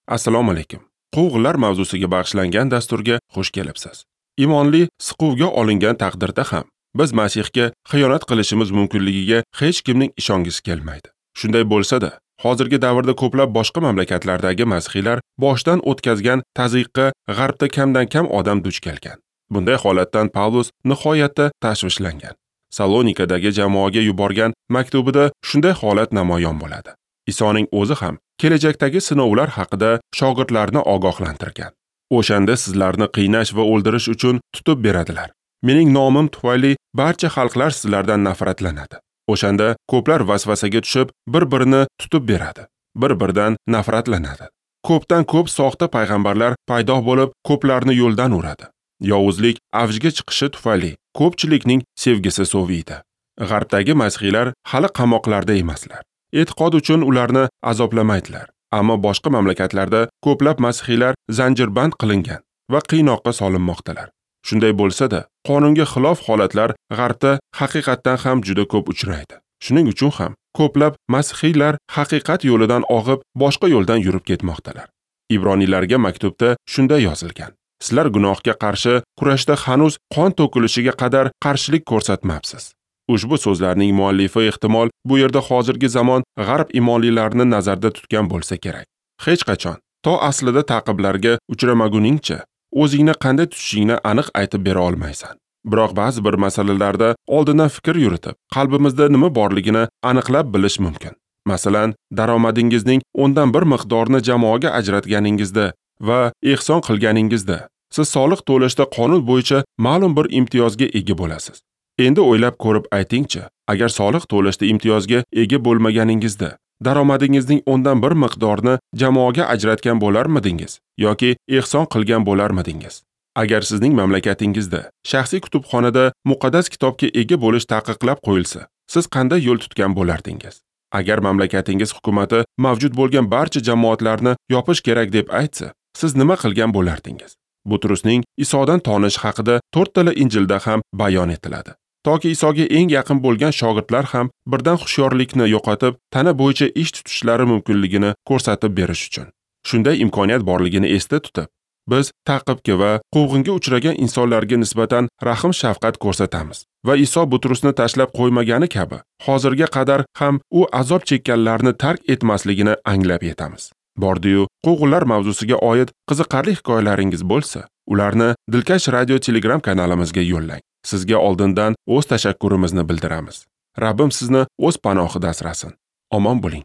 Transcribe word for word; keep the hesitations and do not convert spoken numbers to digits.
Assalomu alaykum. Quvg'inlar mavzusiga bag'ishlangan dasturga xush kelibsiz. Imonli siquvga olingan taqdirda ham biz Masihga xiyonat qilishimiz mumkinligiga hech kimning ishongisi kelmaydi. Shunday bo'lsa-da, hozirgi davrda ko'plab boshqa mamlakatlardagi masihiylar boshdan o'tkazgan tazyiqqa g'arbda kamdan-kam odam duch kelgan. Bunday holatdan Pavlus nihoyatda tashvishlangan. Salonikadagi jamoaga yuborgan maktubida shunday holat namoyon bo'ladi. Isoning o'zi ham kelajakdagi sinovlar haqida shogirdlarni ogohlantirgan. O'shanda sizlarni qiynash va o'ldirish uchun tutib beradilar. Mening nomim tufayli barcha xalqlar sizlardan nafratlanadi. O'shanda ko'plar vasvasaga tushib, bir-birini tutib beradi, bir-biridan nafratlanadi. Ko'pdan ko'p soxta payg'ambarlar paydo bo'lib, ko'plarni yo'ldan uradi. Yovuzlik avjga chiqishi tufayli ko'pchilikning sevgisi soviydi. G'arbdagi masihiylar hali qamoqlarda emaslar. E'tiqod uchun ularni azoblamaydilar. Ammo boshqa mamlakatlarda ko'plab masihiylar zanjirband qilingan va qiynoqqa solinmoqdalar. Shunday bo'lsa-da, qonunga xilof holatlar g'arbda haqiqatdan ham juda ko'p uchraydi. Shuning uchun ham ko'plab masihiylar haqiqat yo'lidan og'ib, boshqa yo'ldan yurib ketmoqdalar. Ibroniylarga maktubda shunday yozilgan: Sizlar gunohga qarshi kurashda hanuz qon to'kilishiga qadar qarshilik ko'rsatmabsiz. Ushbu so'zlarning muallifi ehtimol bu yerda hozirgi zamon g'arb imonlilarini nazarda tutgan bo'lsa kerak. Hech qachon to aslida ta'qiblarga uchramaguningcha o'zingni qanday tutishingni aniq aytib bera olmaysan. Biroq ba'zi bir masalalarda oldindan fikr yuritib, qalbimizda nima borligini aniqlab bilish mumkin. Masalan, daromadingizning o'ndan bir miqdorini jamoaga ajratganingizda va ehson qilganingizda siz soliq to'lashda qonun bo'yicha ma'lum bir imtiyozga ega bo'lasiz. Endi o'ylab ko'rib aytingchi, agar soliq to'lashda imtiyozga ega bo'lmaganingizda daromadingizning o'ndan bir miqdorini jamoaga ajratgan bo'larmidingiz yoki ehson qilgan bo'larmidingiz? Agar sizning mamlakatingizda shaxsiy kutubxonada muqaddas kitobga ega bo'lish taqiqlab qo'yilsa, siz qanday yo'l tutgan bo'lardingiz? Agar mamlakatingiz hukumati mavjud bo'lgan barcha jamoatlarni yopish kerak deb aytsa, siz nima qilgan bo'lardingiz? Butrusning Isodan tonish haqida to'rttala Injilda ham bayon etiladi. Toki Isoga eng yaqin bo'lgan shogirdlar ham birdan hushyorlikni yo'qotib, tana bo'yicha ish tutishlari mumkinligini ko'rsatib berish uchun. Shunday imkoniyat borligini esda tutib, biz ta'qibga va quvg'inga uchragan insonlarga nisbatan rahm-shafqat ko'rsatamiz va Iso Butrusni tashlab qo'ymagani kabi, hozirga qadar ham u azob chekkanlarni tark etmasligini anglab yetamiz. Bordiyu quvg'inlar mavzusiga oid qiziqarli hikoyalaringiz bo'lsa, ularni Dilkash radio Telegram kanalimizga yo'llang. Sizga oldindan o'z tashakkurimizni bildiramiz. Rabbim sizni o'z panohida asrasin. Omon bo'ling.